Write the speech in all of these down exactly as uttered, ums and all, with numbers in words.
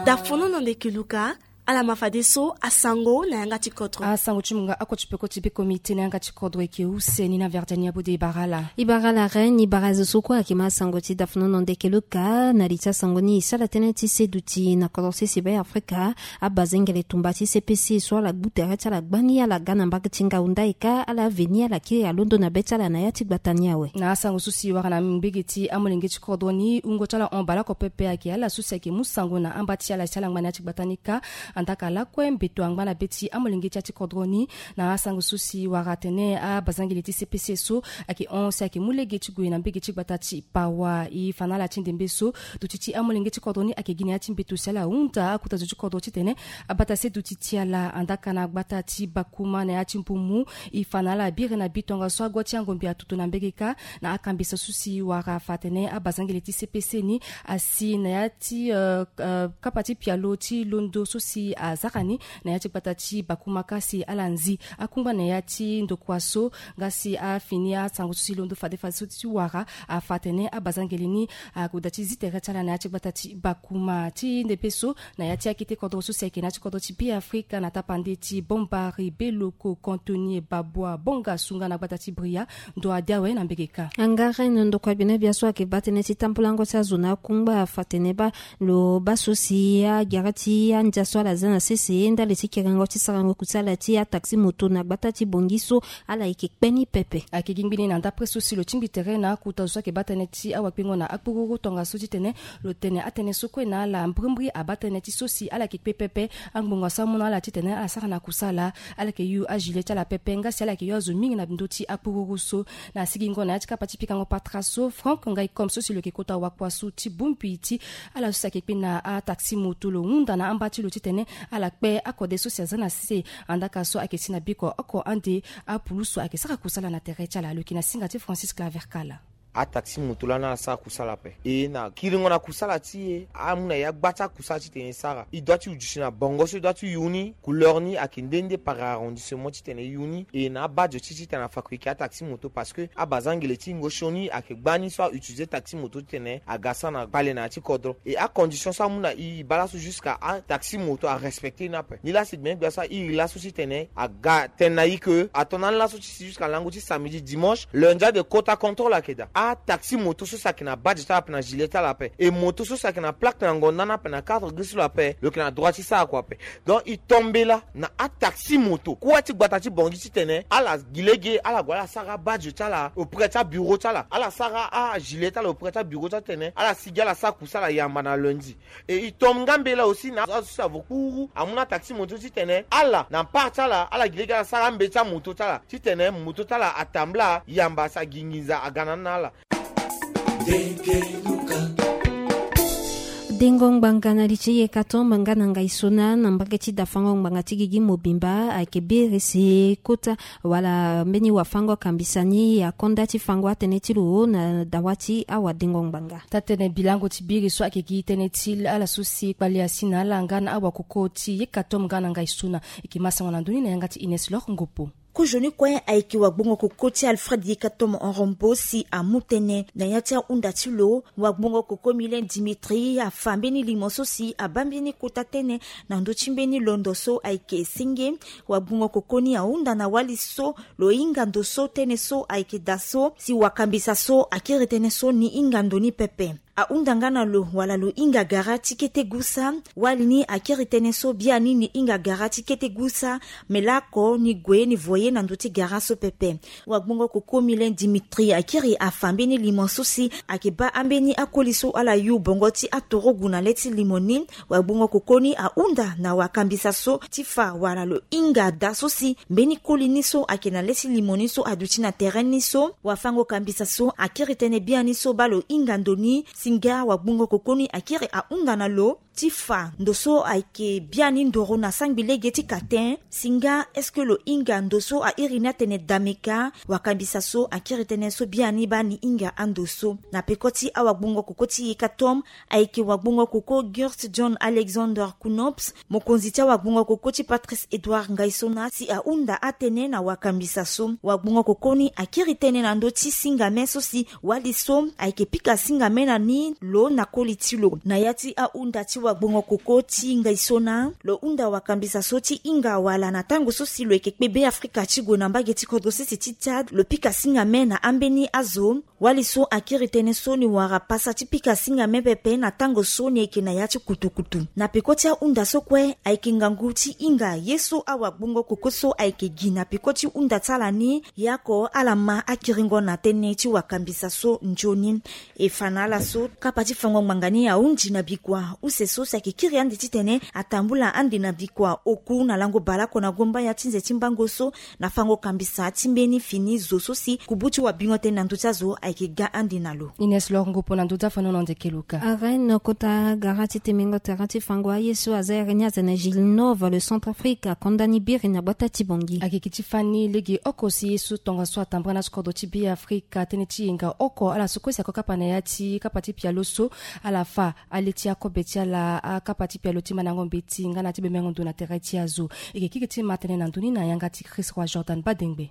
Dafono na ndeke luka. Ala ma fadeso asango na yanga ti kodro. Asango ti munga ako ti peko ti beko mite na yanga ti kodro eke use ni na verdiani abode ibarala. Ibarala ren ibara zo so kue ake ma asango ti dafono na ndeke luka na li ti asango ni isala tene ti seduti na kodro sese be afrika. Abazengele tumba ti sepese so ala gbu tere ti ala gbani ala ga na mbage ti ngau ndai ka ala veni ala kiri alondo na be ti ala na ya ti gbata ni awe. Na asango so si wara na mbege ti amolenge ti kodro ni wungo ti ala hon baleoko pepe ayeke ala so si ayeke mu sango na amba ti ala si ala ngba na ya ti gbata ni ka. Andaka lakue mbeto angba na be ti amolenge ti ya ti kodro ni. Na asango so si wara atene abazangele ti sepese so ayeke hon si ayeke mu lege ti gue na mbege ti gbata ti pawa e fa na ala ti ndembe so. Duti ti amolenge ti kodro ni ayeke gi na ya ti mbeto si ala hunda akuta zo ti kodro titene abata se duti ti ala andaka na gbata ti bakuma na ya ti mbumu. E fa na ala biri na bi tongaso agua ti angombi atutu na mbege ka. Na akambisa so si wara afa atene abazangele ti sepese ni asi na ya ti kapa ti pialo ti londo so si azara ni na ya ti gbata ti bakuma ka si ala nzi akungba na ya ti ndokua so. Nga si afini asango so si londo fadefade so ti wara afa atene abazangele ni agoda ti zi tere ti ala na ya ti gbata ti bakuma ti ndepe so na ya ti akete kodro so si ayeke na ya ti kodro ti be afrika na tapande ti bombari beloko contonie babua bonga sunga na gbata ti bria. Ndo adi awe na mbege ka. Angare na ndokua gbene bia so ayeke baa tënë ti tambulango ti azo na akungba afa tene baa lo baa so si agere ti andia so ala za na sese ndali ti kerengo ti sarango kusala ti ataxi moto na gbata ti bongi so ala yeke kpe ni pepe. Ayeke gi ngbene na ndapre so si lo tingbi tere na akuta zo so ayeke baa tënë ti awakpengo na akpururu tongaso titene lo tene atënë so kue na ala mbrimbri abaa tënë ti so si ala yeke kpe pepe. Angbonga so amu na ala titene ala sara na kusala ala yeke yu agilet ti ala pepe nga si ala yeke yu azo mingi na ndö ti akpururu so. Na sigingo na ya ti kapa ti pikango patra so frank ngai comme so si lo yeke kota wakua so ti bongbi ti ala so si ayeke kpe na ataxi moto lo hunda na amba ti lo titene ala kpe akode so si aza na se. Andaka so ayeke si na biko oko ande apulusu ayeke sara kusala na tere ti ala lo yeke na singa ti francis claver kala. Ataxi moto lani ala sara kusala ape e na kiringo na kusala ti e amu na ya gba ti akusala titene e sara e doit ti udusi na bongo so e doit ti yu ni. Couleur ni ayeke nde nde par arrondissement titene e yu ni e na abadio ti titene afabrike ataxi moto parce que abazangele ti ngosion ni ayeke gba ni so autilize taxi moto titene aga sara na kpale na ya ti kodro e acondition so amu na e e baa laso jusqu'à ataxi moto arespecte ni ape. Ni lasi gbene gbia so a iri laso titene aga tene na e ke ato na ni laso ti si jusqu'à lango ti samedi dimanche lundi ade kota contrôle ayeke daa. Ataxi moto so si ayeke na badge ti ala ape na gilet ti ala ape e moto so si ayeke na plaque na ngonda ni ape na cadre gris ti lo ape lo yeke na droit ti sara kua ape. Donc e to mbela na ataxi moto kue ti gbata ti bongi titene ala gi lege ala gue ala sara abadge ti ala auprès ti abureau ti ala ala sara agilet ti ala auprès ti abureau ti ala titene ala sigi ala sara kusala yamba na lundi. E e tombe nga mbela aussi na azo so si avo kpuru amu na taxi moto titene ala na part ti ala ala gi lege ala sara ambe ti amoto ti ala titene moto ti ala atambula yamba si agi nginza aga na ni na ala. Dengo ngbanga na li ti yeka to mbanga na ngai so na na mbage ti dafango ngbanga ti gigi mobimba ayeke biri si kota wala mbeni wafango akambisa ni akonda ti fango atënë ti lo na dawa ti awadengo ngbanga. Taa-tënë bilango ti biri so ayeke gi tënë ti ala so si kpale asi na ala nga na awakoko ti yeka to mbanga na ngai so na. Eke ma sango na ndö ni na yanga ti ines lor ngopo. Kozoni kue ayeke wagbongo koko ti alfred yeka tomo rombo si amu tënë na ya ti ahunda ti lo. Wagbongo koko milen dimitri afa mbeni limo so si abaa mbeni kota tënë na ndö ti mbeni londo so ayeke senge. Wagbongo koko ni ahunda na wali so lo hinga ndo so tënë so ayeke daa so si wakambisa so akiri tënë so ni hinga ndo ni pepe. Ahunda nga na lo wala lo hinga gara ti kete gusa. Wali ni akiri tënë so biani ni hinga gara ti kete gusa. Me laoko ni gue ni voye na ndö ti gara so pepe. Wagbongo koko milen dimitri akiri afa mbeni limo so si ayeke baa ambeni akoli so ala yu bongo ti aturugu na le ti limo ni. Wagbongo koko ni ahunda na wakambisa so ti fa wala lo hinga daa so si mbeni koli ni so ayeke na le ti limo ni so aduti na tere ni so wafango kambisa so akiri tënë biani so baa lo hinga ndo ni. Si nga wagbongo koko ni akiri ahunda na lo ti fa ndo so ayeke biani ndoro na sangbi lege ti katen. Si nga est-ce que lo hinga ndo so airi ni atene dameka? Wakambisa so akiri tënë so biani baa ni hinga ando so. Na peko ti awagbongo koko ti yeka tom ayeke wagbongo koko gurt john alexander kunops mokonzi ti awagbongo koko ti patrice edouard ngaisona si ahunda atënë na wakambisa so. Wagbongo koko ni akiri tënë na ndö ti singame so si wali so ayeke pika singame na ni. lo na koli ti lo. Na ya ti ahunda ti wagbongo koko ti ngai so na lo hunda wakambisa so ti hinga wala na tango so si lo yeke kpe Beafrika ti gue na mbage ti kodro sese ti Tchad, lo pika singame na ambeni azo. Wali so akiri tënë so ni wara pasa ti pika singame pepe na tango so ni yeke na ya ti kutukutu. Na peko ti ahunda so kue ayeke ngangu ti hinga ye so awagbongo koko so ayeke gi na peko ti hunda ti ala ni, ye oko ala ma akiringo na tënë ti wakambisa so nzoni. E fa na ala so kapa ti fango ngbanga ni ahunzi na bikua use so si ayeke kiri ande titene atambula ande na bikua oku na lango baleoko na gomba ya ti nze ti mbango so na fango kambisa ti mbeni fini zo so si kubu ti wabingo tënë na ndö ti azo ayeke ga ande na lo. Ines Lor Ngopo na ndö ti afanono ndeke luka. Arène kota gara ti temengo terrain ti fango aye so aza ere ni aza na Gilles Nova le Centrafrique akonda ni biri na gbata ti Bangui. Ayeke gi ti fani lege oko si ye so tongaso atambara na ti kodro ti Beafrika tënë ti yenga oko ala so kue si ako kapa na ya ti kapa ti pialo so ala fa ale ti akobe ti ala akapa ti pialo ti mandango mbeti nga na ti bemengo ndo na tere ti azo. E yeke kiri ti ma tënë na ndö ni na yanga ti Chris Roi Jordan Badengbe.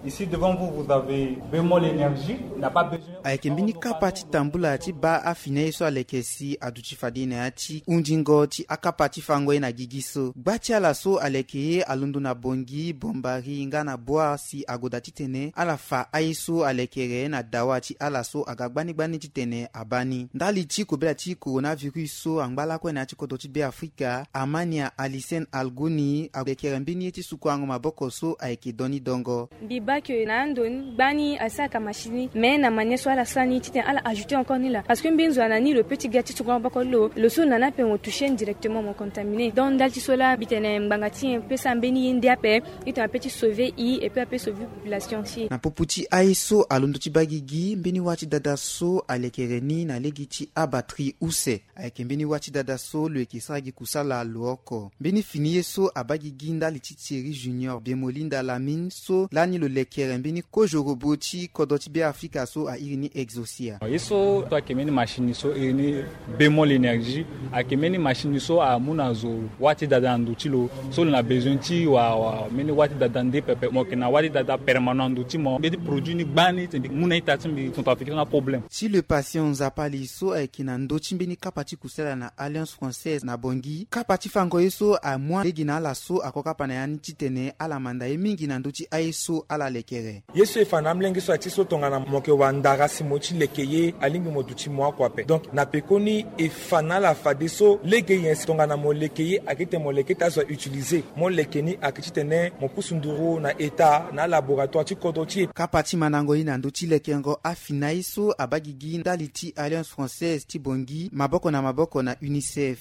Ici devant vous, vous avez Bémol Énergie, n'a pas besoin. Ayeke mbeni kapa ti tambula ti baa afini aye so aleke si aduti fade na ya ti hundingo ti akapa ti fango ye na gigi so. Gba ti ala so aleke ye alondo na Bangui, Bombari nga na Bouar si agoda titene ala fa aye so alekere na dawa ti ala so aga gbani gbani titene abaa ni. Ndali ti kobela ti coronavirus so angba lakue na ya ti kodro ti Beafrika, Amania Alicène Algouni alekere mbeni ye ti sukuango maboko so ayeke doni dongo. Mbi baa ke na ando ni gbani asara ka machine ni, mais na manière so ala sara ni titene ala ajouter encore ni laa. Parce que mbi nzoni na ni lo peut ti ga ti sukuango maboko lo, lo so na ni ape mo toucher ni directement, mo contaminé. Donc ndali ti so laa mbi tene ngbanga ti nyen peut sara mbeni ye nde ape, titene apeut ti sauver i et puis apeut sauver population ti e. Na popo ti aye so alondo ti baa gigi, mbeni wâ ti dada so alekere ni na lege ti abatterie use. Ayeke mbeni wâ ti dada so lo yeke sara gi kusala lo oko. Mbeni fini ye so abaa gigi ndali ti Thierry Junior Biemolinda Lamine so lani lo lekere mbeni kozo robot ti kodro ti Beafrika so airi ni Exocia. Ye so so ayeke mbeni machine so iri ni Bémol Énergie, ayeke mbeni machine so amu na zo wâ ti dada na ndo ti lo. So lo na besoin ti wa, wa, mbeni wâ ti dada nde pepe, mo yeke na wâ ti dada permanent na ndo ti mo. Mbeni produit ni gbani titene mbi mu na ita ti mbi, Centrafricain na problème. Ti le patient Nzapa li so ayeke na ndö ti mbeni kapa ti kusala na Alliance Française na Bangui, kapa ti fango ye so amu lege na ala so ako kapa na ya ni titene ala manda ye mingi na ndö ti aye so ala lekere. Ye so e fa na amolenge so aye ti so tongana mo yeke wara ndara si mo ye ti leke ye, alingbi mo duti mo oko ape. Donc na pekoni e fa na ala fadeso lege nyen si tongana mo leke ye ayeke titene mo leke ti azo a utiliser. Mo leke ni ayeke titene mo pusu nduru na eta na alaboratoire ti kodro ti e. Kapa ti mandango ye na ndö ti lekengo afini aye so abaa gigi ndali ti Alliance Française ti Bangui maboko na maboko na UNICEF.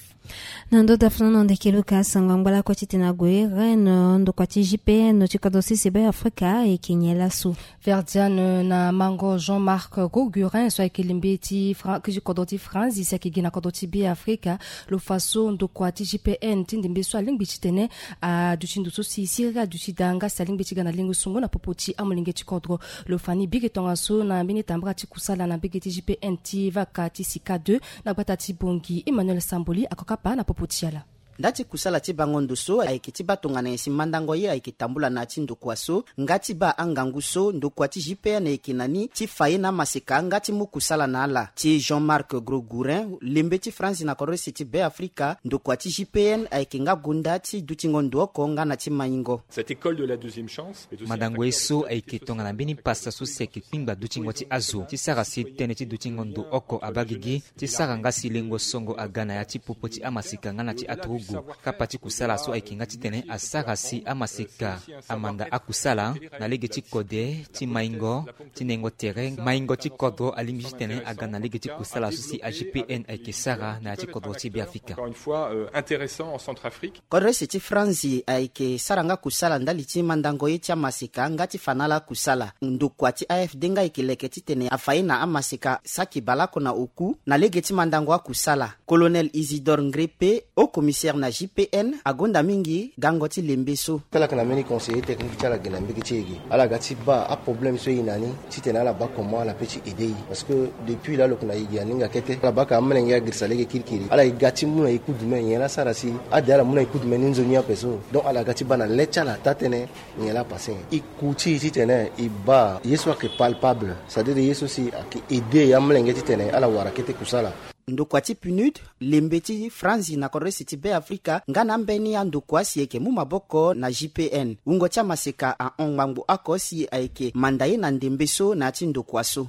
Na ndö ti afana na ndeke luka sango angba lakue titene ague Rennes ndokua ti G P N ti kodro sese Beafrika ayeke nyen laso. Verdiane na mango Jean-Marc Gogurin so ayeke lembe ti Fran-, ti kodro ti France si ayeke gi na kodro ti Beafrika. Lo fa so ndokua ti G P N ti ndembe so alingbi titene aduti ndo so si siriri aduti daa nga si alingbi ti ga na lengo sungo na popo ti amolenge ti kodro. Lo fa ni biri tongaso na mbeni tambara ti kusala na mbage ti G P N ti vaka ti Sika deux na gbata ti Bangui. Emmanuel Samboli ako kapa na popo ti ala. Nda ti kusala ti bango ndo so ayeke ti baa tongana nyen si mandango ye ayeke tambula na ya ti ndokua so nga ti baa angangu so ndokua ti G P N ayeke na ni ti fa ye na amaseka nga ti mu kusala na ala. Ti Jean-Marc Grogourin, lembe ti France na kodro sese ti Beafrika, ndokua ti G P N ayeke nga gonda ti dutingo ndo oko nga na ti maingo. Cette école de la deuxième chance. Mandango ye so ayeke tongana mbeni pasa so si ayeke kpingba dutingo ti azo ti sara si tënë ti dutingo ndo oko abaa gigi ti sara nga si lengo songo aga na ya ti popo ti amaseka nga na ti aturugu. Kapa ti kusala so ayeke nga titene asara si amaseka amanda akusala na lege ti kode ti maingo ti nengo tere. Maingo ti kodro alingbi titene aga na lege ti kusala so si a G P N ayeke sara na ya ti kodro ti Beafrika. Encore une fois, euh, intéressant en Centrafrique. Kodro ese ti Franzi ayeke sara nga kusala ndali ti mandango ye ti amaseka nga ti fa na ala kusala. Ndokua ti A F D nga ayeke leke titene afa ye na amaseka saki baleoko na oku na lege ti mandango akusala. Colonel Isidore Ngrepe, haut commissaire na J P N agonda mingi gango ti lembe so. Tala yeke na mbeni conseiller technique ti ala gi na mbege ti e gi, ala ga ti baa aproblème so e na ni titene ala baa comment ala pe ti aider e. Parce que depuis laa lo yeke na e gi aninga kete, ala baa ka amolenge agirisa lege kirikiri, ala e ga ti mu na e kudume nyen laa asara si ade ala mu na e kudume ni nzoni ape so. Donc ala ga ti baa na le ti ala taa-tënë nyen laa apasse nyen. E ku ti e titene e baa ye so ayeke palpable, c'est-à-dire ye so si ayeke aider amolenge titene ala wara kete kusala. Ndokua ti PNUD, lembe ti Franzi na kodresi ti Be Afrika, nga na ambeni andokua si e yeke mu maboko na J P N. Wungo ti amaseka ahon ngbangbo oko si ayeke manda ye na ndembe so na ya ti ndokua so.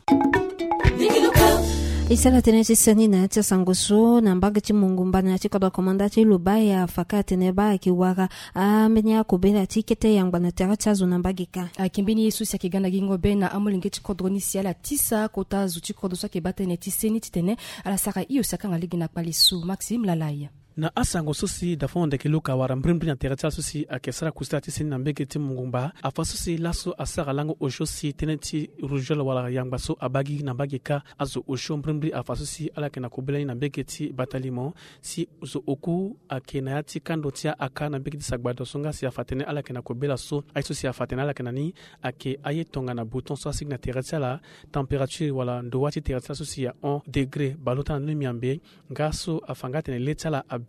E sara tënë ti seni na ya ti asango so na mbage ti Mongumba na ya ti kodro komanda ti Lubaya, afa ka atene baa ayeke wara ambeni akobela ti kete yangba na tere ti azo na mbage kâ. Ayeke mbeni ye so si ayeke ga na gingo be na amolenge ti kodro ni si ala tisa kota zo ti kodro so ayeke baa tënë ti seni titene ala sara hio si akanga lege na kpale so. Maxime Lalai. Na asango so si Dafon Ndeke Luka awara mbrimbri na tere ti ala so si ayeke sara kusala ti seni na mbage ti Mongumba, afa so si laso asara lango osio si tënë ti rougeole wala yangba so abaa gi na mbage kâ, azo osio mbrimbri afa so si ala yeke na kobela ni na mbage ti Batalimo, si zo oku ayeke na ya ti kando ti akâ na mbage ti Sagbado so nga si afa atene ala yeke na kobela so, aye so si afa atene ala yeke na ni ayeke aye tongana bouton so asigi na tere ti ala, température wala ndowa ti tere ti ala so si ahon degré baleota na ni miambe. Nga so afa nga atene le ti ala abe.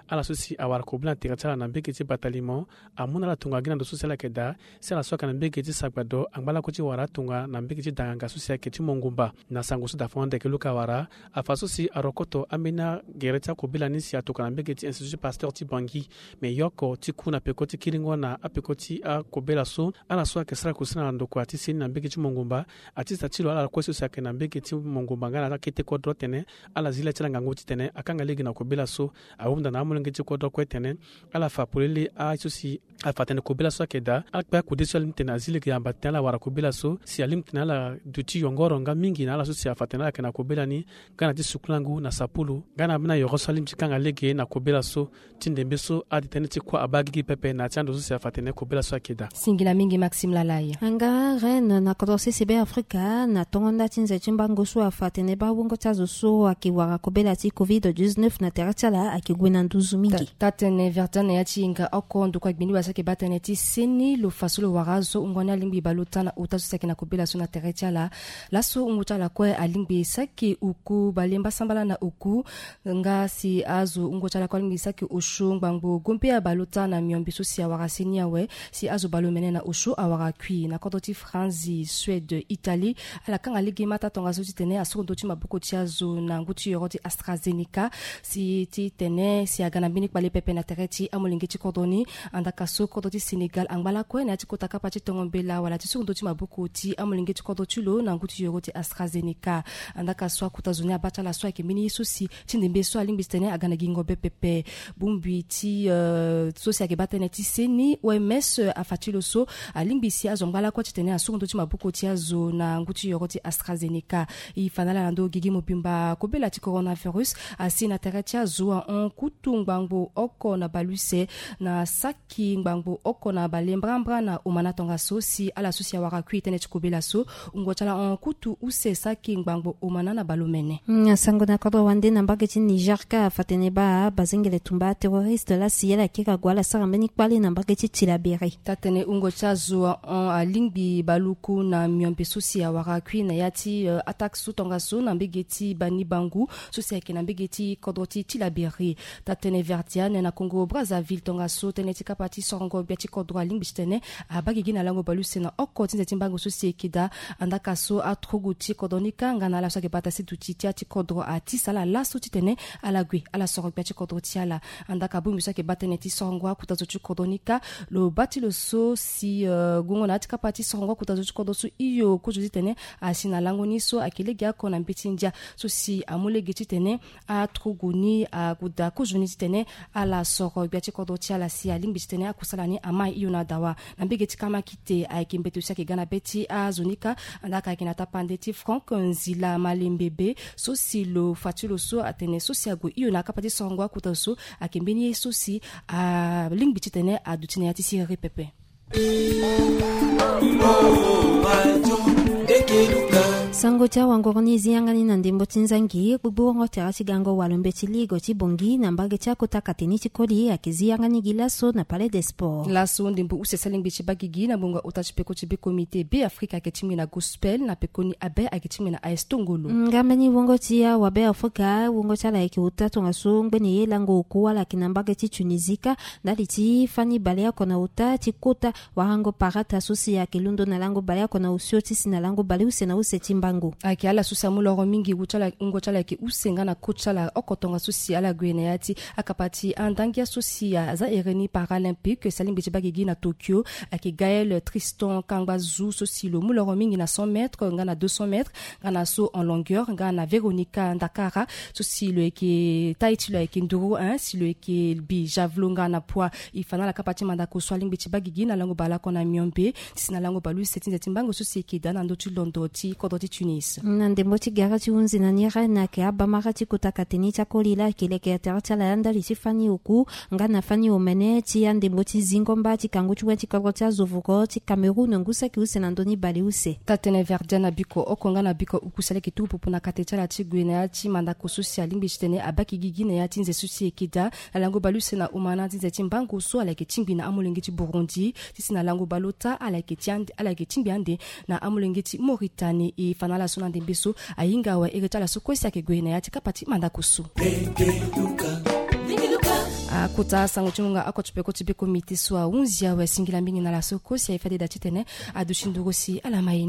Ala so si awara kobela na tere ti ala na mbage ti Batalimo, amu na ala tongana gi na ndo so si ala yeke daa, si ala so ayeke na mbage ti Sagbado angba lakue ti wara atonga na mbage ti Danganga so si ayeke ti Mongumba. Na sango so Dafon Ndeke Luka awara, afa so si arokoto ambeni agere ti akobela ni si atokua na mbage ti Institut Pasteur ti Bangui, me yoko ti ku na peko ti kiringo na apeko ti akobela so, ala so ayeke sara kusala na ndokua ti seni na mbage ti Mongumba, atisa ti lo ala kue so si ayeke na mbage ti Mongumba nga na akete kodro atene ala zi le ti ala ngangu titene akanga lege na kobela so, ahunda na amolenge ti kodro kue titene ala fa polele aye so si afa atene kobela so ayeke daa, akpe akude so alingbi titene azi lege yamba titene ala wara kobela so, si alingbi titene ala duti yongoro nga mingi na ala so si afa atene ala yeke na kobela ni, nga na ti sukulangu na sapulu, nga na ambeni ayoro so alingbi ti kanga lege na kobela so, ti ndembe so ade tënë ti kuâ abaa gigi pepe na ya ti ando so si afa atene kobela so ayeke daa. Singila mingi Maxime Lalai. Anga Rennes na kodro sese Be Afrika, na tongo nda ti nze ti mbango so afa atene baa wungo ti azo so ayeke wara kobela ti covid dix-neuf na tere ti ala ayeke gue na nduzu mingi. Taa-tënë Verdiane na ya ti hinga oko ndokua gbindu wala so ayeke baa tënë ti seni lo fa so lo wara azo wungo ni alingbi baleota na ota so si ayeke na kobela so na tere ti ala. Laso wungo ti ala kue alingbi saki oku bale mbasambala na oku. Nga si azo wungo ti ala kue alingbi saki osio ngbangbo gombe abaleota na miombe so si awara seni awe, si azo baleomene na osio awara kui. Na kodro ti Franzi, Suède, Italie, ala kanga lege mata tongaso titene asoro ndö ti maboko ti azo na ngu ti yoro ti AstraZeneca, si titene si aga na mbeni kpale pepe na tere ti amolenge ti kodro ni. Andaka so kodro ti Sénégal angba lakue na ya ti kota kapa ti tongo mbela wala ti soro ndö ti maboko ti amolenge ti kodro ti lo na ngu ti yoro ti AstraZeneca. Andaka so akuta zo ni abaa ti ala so ayeke mbeni ye so si ti ndembe so alingbi titene aga na gingo be pepe. Bongbi ti, euh, so si ayeke baa tënë ti seni, O M S, euh, afa ti lo so alingbi si azo angba lakue titene asoro ndö ti maboko ti azo na ngu ti yoro ti AstraZeneca. E fa na ala na ndö gigi mobimba kobela ti coronavirus asi na tere ti azo ahon kutu ngbangbo oko na baleuse na saki ngbangbo oko na bale mbrambra na omana tongaso si ala so si awara kui tënë ti kobela so. Wungo ti ala ahon kutu use saki ngbangbo omana na baleomene. Mm, sango na kodro wande na mbage ti Niger kâ afa atene baa bazengele tumba terroriste laa si ala yeke ka gue ala sara mbeni kpale na mbage ti Tillabéri. Taa-tënë wungo ti azo ahon alingbi baluku na miombe so si awara kui na ya ti, euh, attaque so tongaso na mbage ti Bani Bangu so si ayeke na mbage ti kodro ti Tillabéri. Taa-tënë Verdiane na Congo Brazzaville tongaso tënë ti kapa ti sorongo gbia ti kodro alingbi titene abaa gigi na lango baleuse na oko ti nze ti mbango so si e yeke daa. Andaka so aturugu ti kodro ni kâ nga na ala so ayeke bata ti duti ti ya ti kodro atisa ala laso titene ala gue ala soro gbia ti kodro ti ala. Andaka bongbi so ayeke baa tënë ti sorongo akuta zo ti kodro ni kâ, lo baa ti lo so si, euh, gongo na ya ti kapa ti sorongo akuta zo ti kodro so hio kozo titene asi na lango ni so ayeke legeoko na mbeti ndia so si amu lege titene aturugu ni ague daa kozo ni titene ala soro gbia ti kodro ti ala si alingbi titene akusala ni amai hio na dawa. Na mbege ti kamakite ayeke mbeto si ayeke ga na be ti azo ni kâ. Andaka ayeke na tapande ti Franck Nzila Malembe be so si lo fa ti lo so atene so si ague hio na kapa ti sorongo akuta zo so ayeke mbeni ye so si alingbi titene aduti na ya ti siriri pepe. Sango ti awangoro ni zi yanga ni na ndembo ti nzangi gbogbo wongo tere ti gango walo mbeti ligo ti bongi na mbage ti akota kateni ti koli ayeke zi yanga ni gi laso na palais des sports. Laso ndembo use sali ngbe ti bagigi na ngbonga ota ti peko ti be komite be afrika ayeke tingbi na gospel na pekoni abe ayeke tingbi na aes tongolo. Ngamba ni wongo ti awabe afrika wongo ti ala ayeke ota tongaso ngbene ye lango oku ala yeke na mbage ti tunisie kâ ndali ti fani baleoko na ota ti kota warango parata so si ayeke londo na lango baleoko na osio ti si na lango baleuse na use ti mbango. Ayeke ala so si amu loro mingi wu ti ala wungo ti ala ayeke use nga na ko ti ala oko tongaso si ala gue na ya ti akapa ti andangia so si aza ere ni paralympique sali ngbe ti bagigi na tokyo. Ayeke gaël tristan kangbazu so si lo mu loro mingi na cent mètres nga na deux cents mètres nga na saut en longueur nga na veronica ndakara so si lo yeke tai ti lo ayeke nduru un si lo yeke bi javelot nga na poids. E fa na ala kapa ti mandako so alingbi ti baa gigi na lango baleoko na miombe ti si na lango baleuse ti nze ti mbango so si eke daa na ndö ti londo ti kodro ti tunis. Na ndembo ti gara ti hunzi na ni rene ayeke abamara ti kota kateni ti akoli laa ayeke leke ya tere ti ala ya ndali ti fani oku nga na fani omene ti andembo ti zingo mba ti kangu ti wen ti kodro ti azo voko ti cameroun ngu saki use na ndö ni baleuse. Taa-tënë verdian na biko oko nga na biko uku si aleke tuku popo na kate ti ala ti gue na ya ti mandako so si alingbi titene abaa gigi na ya ti nze so si eke daa na lango baleuse na omana ti nze ti mbango so ala yeke tingbi na amolenge ti burundi ti si na lango baleota ala yeke ti ande ala yeke tingbi ande na amolenge ti mauritanie e fa na ala so na ndembe so. Ahinga awe ere ti ala so kue si ayeke gue na ya ti kapa ti mandako so. Akota sango ti ngonga oko ti peko ti be komite so ahunzi awe singila mingi na ala so kue si aye fade daa titene aduti nduru si ala ma ye.